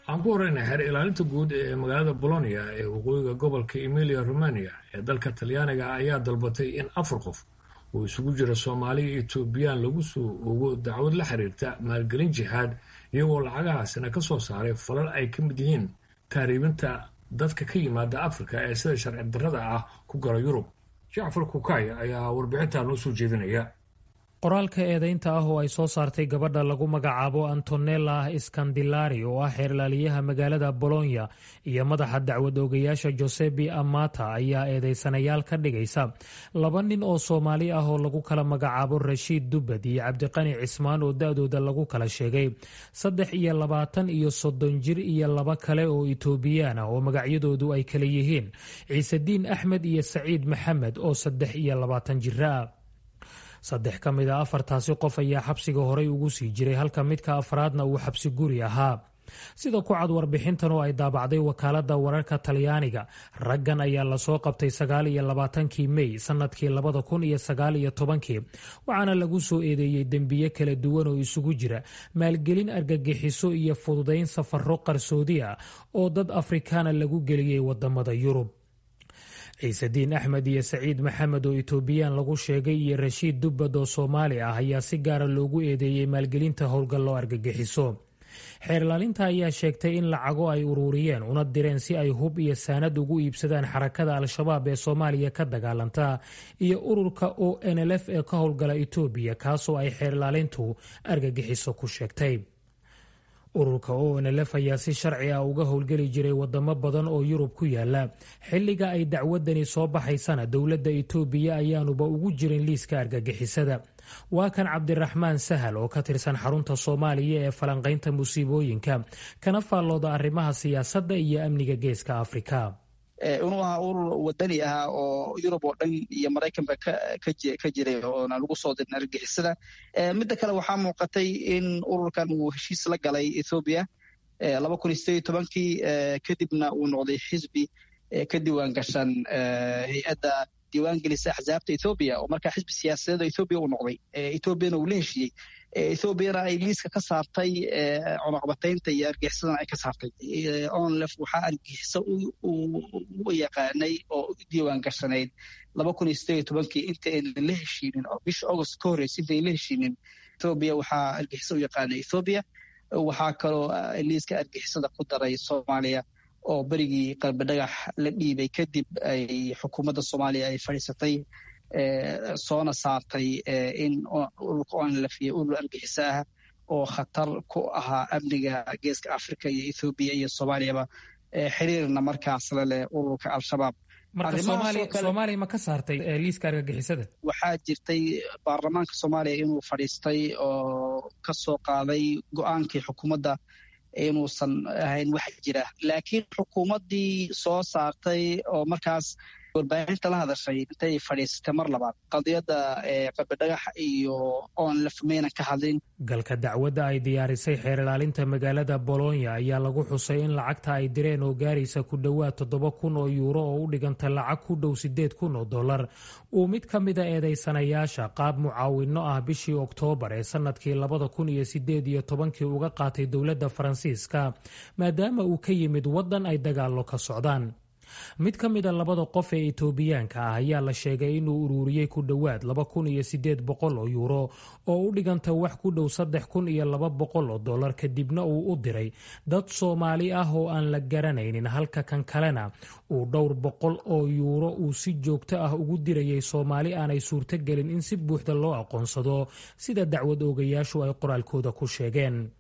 Aan ku horeyna, xeer ilaalinta guud ee magaalada Bolonia ee waqooyiga gobolka Emilia Romania ee dalka Talyaaniga ayaa dalbatay in afar qof oo isugu jira Soomaaliya iyo Etoobiyaan lagu soo ogo dacwad la xiriirta maalgelin jihaad, iyagoo lacagahaasina ka soo saaray falal ay ka mid yihiin tahriibinta dadka ka yimaada Afrika ee sida sharci darrada ah ku gala Yurub. Jacfar Kukay ayaa warbixintaa noo soo jeedinaya. Qoraalka eedeynta ah oo ay soo saartay gabadha lagu magacaabo Antonella Scandilari, oo ah xeerlaaliyaha magaalada Bolonya, iyo madaxa dacwad oogayaasha Josebi Amata ayaa eedeysanayaal ka dhigaysa laba nin oo Soomaali ah oo lagu kala magacaabo Rashiid Dubbad iyo Cabdiqani Cismaan, oo da-dooda lagu kala sheegay 23 iyo 30 jir, iyo laba kale oo Etoobiyaan ah oo magacyadoodu ay kala yihiin Ciisediin Axmed iyo Saciid Maxamed, oo 23 jira ah. Saddex ka mid a afartaasi qof ayaa xabsiga horay ugu sii jiray, halka midka afraadna uu xabsi guri ahaa, sida ku cad warbixintan oo ay daabacday wakaaladda wararka Talyaaniga. Raggan ayaa lasoo qabtay 29-kii Mey sanadkii 2019-kii, waxaana lagu soo eedeeyey dembiye kala duwan oo isugu jira maalgelin argagixiso iyo fududayn safarro qarsoodi ah oo dad Afrikaana lagu geliyey wadamada Yurub. Ciisediin Axmed iyo Saciid Maxamed oo Etoobiyaan lagu sheegay iyo Rashiid Dubbad oo Soomaali ah ayaa si gaara loogu eedeeyey maalgelinta howlgallo argagixiso. Xeerlaalinta ayaa sheegtay in lacago ay uruuriyeen una direen si ay hub iyo saanad ugu iibsadaan xarakada Al-Shabaab ee Soomaaliya ka dagaalanta iyo ururka ONLF ee ka howlgala Etoobiya, kaasoo ay xeerlaalintu argagixiso ku sheegtay. Ururka ONLF ayaa si sharci ah uga howlgeli jiray wadamo badan oo Yurub ku yaala. Xilliga ay dacwadani soo baxaysana dowladda Itoobiya ayaanuba ugu jirin liiska argagixisada. Waa kan Cabdiraxmaan Sahal oo ka tirsan Xarunta Soomaaliya ee Falanqaynta Musiibooyinka, kana faallooda arrimaha siyaasadda iyo amniga Geeska Afrika. Inuu ahaa urur wadani ahaa oo Yurub oo dhan iyo Maraykanba ka jiray oona lagu soo dirin argagixisada. Midda kale, waxaa muuqatay in ururkan uu heshiis la galay Ethoobiya 2018-kii, kadibna uu noqday xisbi ka diiwaan gashan hay-adda diiwaangelisa axsaabta Ethoobiya, oo markaa xisbi siyaasadeed oo Ethoobiya uu noqday, Ethoobiana uu la heshiiyey, Ethoobiana ay liiska ka saartay cunaqabataynta iyo argagixisadana ay ka saartay. ONLF waxaa argagixiso u yaqaanay oo u diiwaan gashanayd 2018-kii, inta aynan la heshiinin oo bisha August ka horreysay inta aynan la heshiinin Ethoobiya. Waxaa argagixiso u yaqaanay Ethoobiya. Waxaa kaloo liiska argagixisada ku daray Soomaaliya, oo berigii Qalbi Dhagax la dhiibay kadib ay xukuumadda Soomaaliya ay fadhiisatay, soona saartay in ururka ONLF iyo urur argagixiso ah oo khatar ku ahaa amniga Geeska Africa iyo Ethoobiya iyo Soomaaliyaba, xiriirna markaas la leh ururka Al-Shabaab. Marka Soomaaliya ma ka saartay liiska argagixisada? Waxaa jirtay baarlamaanka Soomaaliya inuu fadhiistay oo ka soo qaaday go-aankii xukuumadda inuusan ahayn wax jira, laakiin xukuumaddii soo saartay oo markaas warbaahinta la hadashay intay fadhiisatay mar labaad qadiyadda Qalbidhagax iyo ONLF maynan ka hadlin. Galka dacwadda ay diyaarisay xeer ilaalinta magaalada Bolonya ayaa lagu xusay in lacagta ay direen oo gaaraysa ku dhowaad 7,000 oo yuuro, oo u dhiganta lacag ku dhow $8,000, uu mid ka mida eedeysanayaasha qaab mucaawino ah bishii Oktoobar ee sanadkii 2018-kii uga qaatay dowladda Faransiiska, maadaama uu ka yimid waddan ay dagaallo ka socdaan. Mid ka mida labada qof ee Itoobiyaanka ah ayaa la sheegay inuu ururiyey ku dhowaad 2,800 oo yuuro, oo u dhiganta wax ku dhow $3,200, kadibna uu u diray dad Soomaali ah oo aan la garanaynin, halka kan kalena uu dhowr boqol oo yuuro uu si joogto ah ugu dirayay Soomaali aanay suurtogelin in si buuxda loo aqoonsado, sida dacwad oogayaashu ay qoraalkooda ku sheegeen.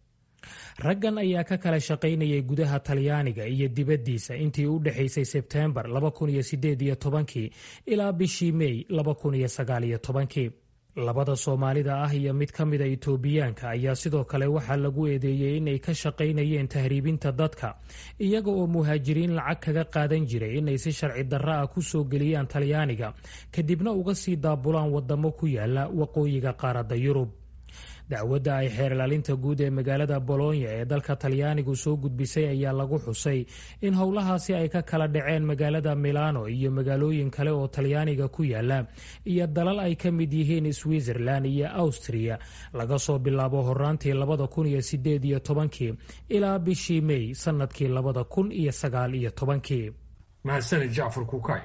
Raggan ayaa ka kala shaqaynayay gudaha Talyaaniga iyo dibaddiisa intii u dhexaysay Sebteembar 2018-kii ilaa bishii Mey 2019-kii. Labada Soomaalida ah iyo mid ka mida Itoobiyaanka ayaa sidoo kale waxaa lagu eedeeyey inay ka shaqaynayeen tahriibinta dadka, iyaga oo muhaajiriin lacag kaga qaadan jiray inay si sharci darro ah ku soo geliyaan Talyaaniga, kadibna uga sii daabulaan wadamo ku yaala waqooyiga qaaradda Yurub. Dacwadda ay xeer ilaalinta guud ee magaalada Bolonya ee dalka Talyaanigu soo gudbisay ayaa lagu xusay in howlahaasi ay ka kala dhaceen magaalada Milano iyo magaalooyin kale oo Talyaaniga ku yaala iyo dalal ay ka mid yihiin Switzerland iyo Austria, laga soo bilaabo horaantii 2018-kii ilaa bishii May sanadkii 2019-kii. Mahadsanid, Jacfar Kukay.